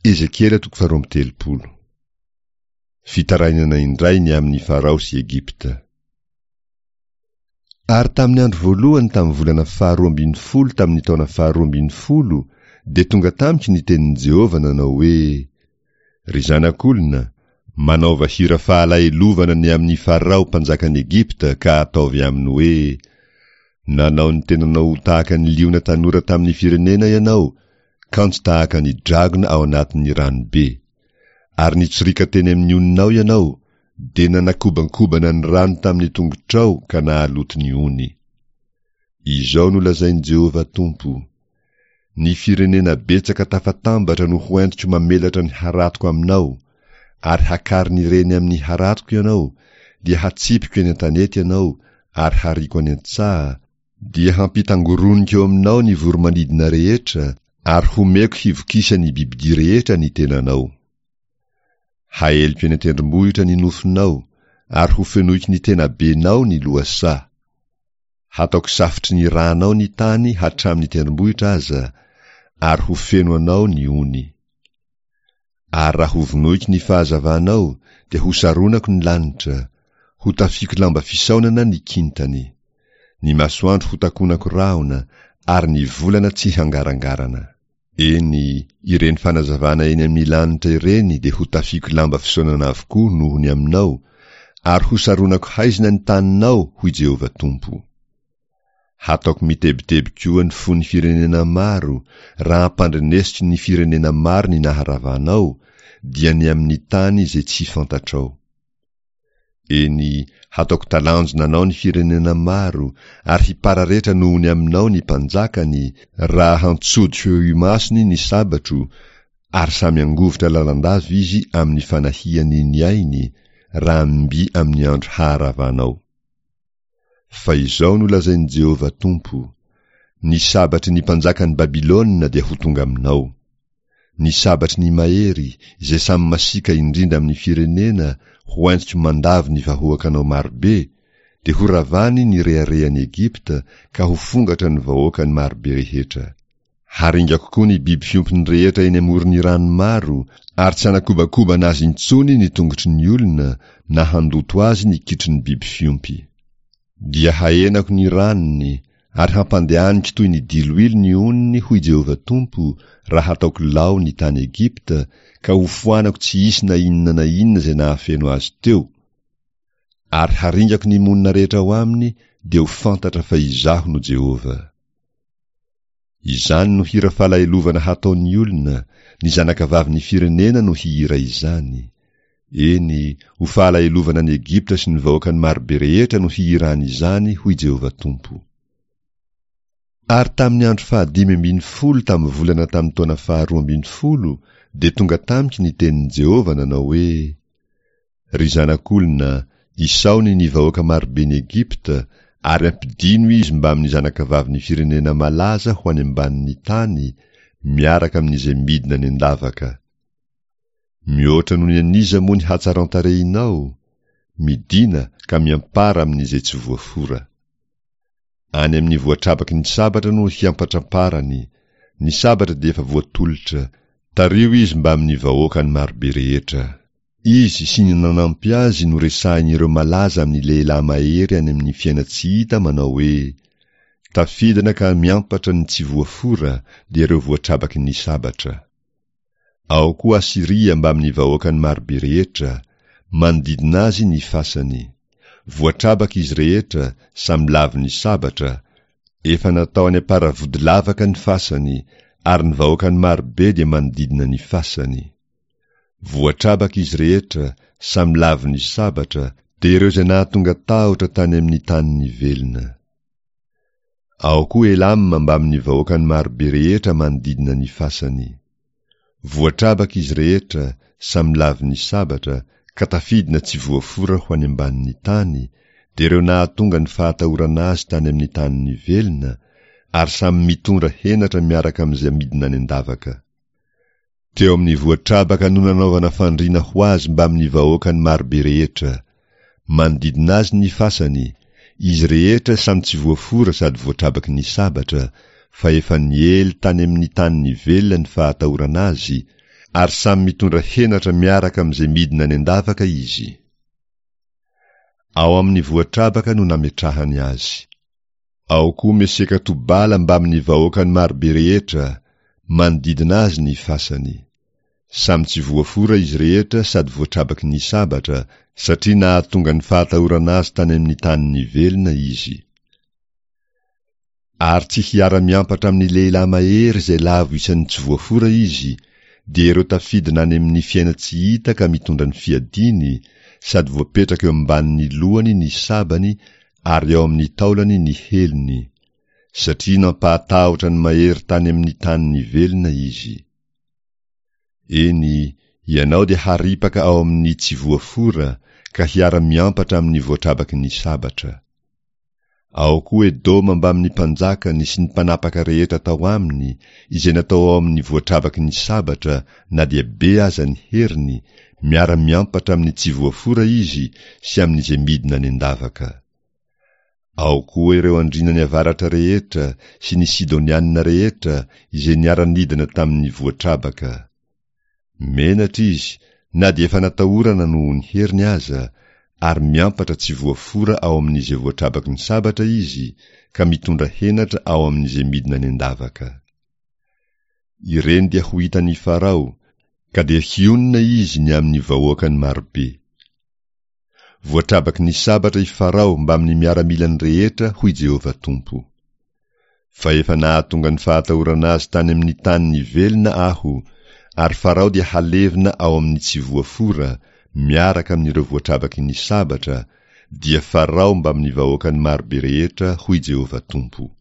Ezekiela toko faharoa amby 30. Fitarainana indray ny amin'i Farao sy Egypta. Ary tamin'ny andro voalohany tamin'ny volana faharoa ambin'ny folo tamin'ny taona faharoa ambin'ny folo dia tonga tamiko ny tenin'i Jehovah nanao hoe, Ry zanak'olona, manaova hira fahalahelovana ny amin'i Farao mpanjakan'i Egypta ka ataovy aminy hoe, Nanao ny tenanao ho tahaka ny liona tanora tamin'ny firenena ianao, kanjo tahaka ny dragona ao anatin'ny rano be. Ary nitsoriaka teny amin'ny oninao ianao, dia nanakobankobana ny rano tamin'ny tongotrao ka nahaloto ny ony. Izao no lazain'i Jehovah Tompo, Ny firenena betsaka tafatambatra no hoentiko mamelatra ny haratoko aminao, ary hakarin'ireny amin'ny haratoko ianao, dia hatsipiko eny an-tanety ianao ary hariako any an-tsaha, dia hampitangoroniko eo aminao ny voro-manidina rehetra, ary homeko hivokisan'ny bibidia rehetra ny tenanao. Haeliko eny an-tendrombohitra ny nofonao, ary hofenoiko ny tenabenao ny lohasaha. Hataoko safotry ny ranao ny tany hatramin'ny tendrombohitra aza, ary ho feno anao ny ony. Ary raha hovonoiko ny fahazavanao, dia hosaronako ny lanitra, hotafiako lamba fisaonana ny kintany. Ny masoandro hotakonako rahona, ary ny volana tsy hangarangarana. Eny, ireny fanazavana eny amin'ny lanitra ireny dia hotafiako lamba fisaonana avokoa noho ny aminao, ary hosaronako haizina ny taninao, hoy Jehovah Tompo. Hataoko mitebiteby koa ny fon'ny firenena maro, raha ampandrenesiko ny firenena maro ny naharavanao, dia ny amin'ny tany izay tsy fantatrao. Eny, hataoko talanjona anao ny firenena maro, ary hipararetra noho ny aminao ny mpanjakany, raha hantsodiko eo imasony ny sabatro, ary samy hangovitra lalandava izy amin'ny fanahiany ny ainy, raha mby amin'ny andro haharavanao. Fa izao no lazain'i Jehovah Tompo, Ny sabatry ny mpanjakan'i Babylona dia ho tonga aminao. Ny sabatry ny mahery, izay samy masiaka indrindra amin'ny firenena, ho entiko mandavo ny vahoakanao marobe, dia horavany ny reharehan'i Egypta ka ho fongatra ny vahoakany marobe rehetra. Haringako koa ny biby fiompiny rehetra eny amoron'ny rano maro, ary tsy hanakobakobana azy intsony ny tongotry ny olona, na handoto azy ny kitron'ny biby fiompy. Dia hahenako ny ranony, ary hampandehaniko toy ny diloilo ny onony, hoy Jehovah Tompo, raha hataoko lao ny tany Egypta, ka hofoanako tsy hisy na inona na inona izay nahafeno azy teo. Ary haringako ny monina rehetra ao aminy, dia ho fantatra fa Izaho no Jehovah. Izany no hira falahelovana hataon'ny olona, ny zanakavavin'ny firenena no hihira izany. Eny, ho fahalahelovana an'i Egypta sy ny vahoakany marobe rehetra no hihirany izany, hoy Jehovah Tompo. Ary tamin'ny andro fahadimy ambin'ny folo tamin'ny volana tamin'ny taona faharoa ambin'ny folo dia tonga tamiko ny tenin'i Jehovah nanao hoe, Ry zanak'olona, isaony ny vahoaka maroben'i Egypta, ary ampidino izy mbamin'ny zanakavavin'ny firenena malaza ho any ambanin'ny tany, miaraka amin'izay midina any an-davaka. Mihoatra noho ny an'iza moa ny hatsaran-tarehinao? Midìna ka miampara amin'izay tsy voafora. Any amin'ny voatrabaky ny sabatra no hiampatramparany, ny sabatra dia efa voatolotra, tariho izy mbamin'ny vahoakany marobe rehetra. Izy sy ny nanampy azy no resahin'ireo malaza amin'ny lehilahy mahery any amin'ny fiaina-tsy hita manao hoe, Tafidina ka miampatra ny tsy voafora dia ireo voatrabaky ny sabatra. Ao koa Asyria mbamin'ny vahoakany marobe rehetra, manodidina azy ny fasany. Voatrabaka izy rehetra, samy lavon'ny sabatra, efa natao any am-paravodilavaka ny fasany, ary ny vahoakany marobe dia manodidina ny fasany. Voatrabaka izy rehetra, samy lavon'ny sabatra, dia ireo izay nahatonga tahotra tany amin'ny tanin'ny velona. Ao koa Elama mbamin'ny vahoakany marobe rehetra manodidina ny fasany. Voatrabaka izy rehetra, samy lavon'ny sabatra, ka tafidina tsy voafora ho any ambanin'ny tany, dia ireo nahatonga ny fahatahorana azy tany amin'ny tanin'ny velona, ary samy mitondra henatra miaraka amin'izay midina any an-davaka. Teo amin'ny voatrabaka no nanaovana fandriana ho azy mbamin'ny vahoakany marobe rehetra. Manodidina azy ny fasany, izy rehetra samy tsy voafora sady voatrabaky ny sabatra, fa efa niely tany amin'ny tanin'ny velona ny fahatahorana azy, Ary samy mitondra henatra miaraka amin'izay midina any an-davaka izy. Ao amin'ny voatrabaka no nametrahany azy. Ao koa Meseka Tobala mbamin'ny vahoakany marobe rehetra, manodidina azy ny fasany. Samy tsy voafora izy rehetra sady voatrabaky ny sabatra, satria nahatonga ny fahatahorana azy tany amin'ny tanin'ny velona izy. Ary tsy hiara-miampatra amin'ny lehilahy mahery izay lavo isan'ny tsy voafora izy, dia ireo tafidina any amin'ny fiainan-tsy hita ka mitondra ny fiadiany, sady voapetraka eo ambanin'ny lohany ny sabany ary ao amin'ny taolany ny helony, satria nampahatahotra ny mahery tany amin'ny tanin'ny velona izy. Eny, ianao dia haripaka ao amin'ny tsy voafora ka hiara-miampatra amin'ny voatrabaky ny sabatra. Ao koa Edoma mbamin'ny mpanjakany sy ny mpanapaka rehetra tao aminy, izay natao ao amin'ny voatrabaky ny sabatra, na dia be aza ny heriny, miara-miampatra amin'ny tsy voafora izy sy amin'izay midina any an-davaka. Ao koa ireo andriana ny avaratra rehetra sy ny Sidonianina rehetra izay niara-nidina tamin'ny voatrabaka. Menatra izy na dia efa natahorana noho ny heriny aza, ary miampatra tsy voafora ao amin'izay voatrabaky ny sabatra izy, ka mitondra henatra ao amin'izay midina any an-davaka. Ireny dia ho hitan'i Farao, ka dia hionona izy ny amin'ny vahoakany marobe. Voatrabaky ny sabatra i Farao mbamin'ny miaramilany rehetra, hoy Jehovah Tompo. Fa efa nahatonga ny fahatahorana azy tany amin'ny tanin'ny velona Aho, ary Farao dia halevina ao amin'ny tsy voafora, miaraka amin'ireo voatrabaky ny sabatra, dia Farao mbamin'ny vahoakany marobe rehetra, hoy Jehovah Tompo.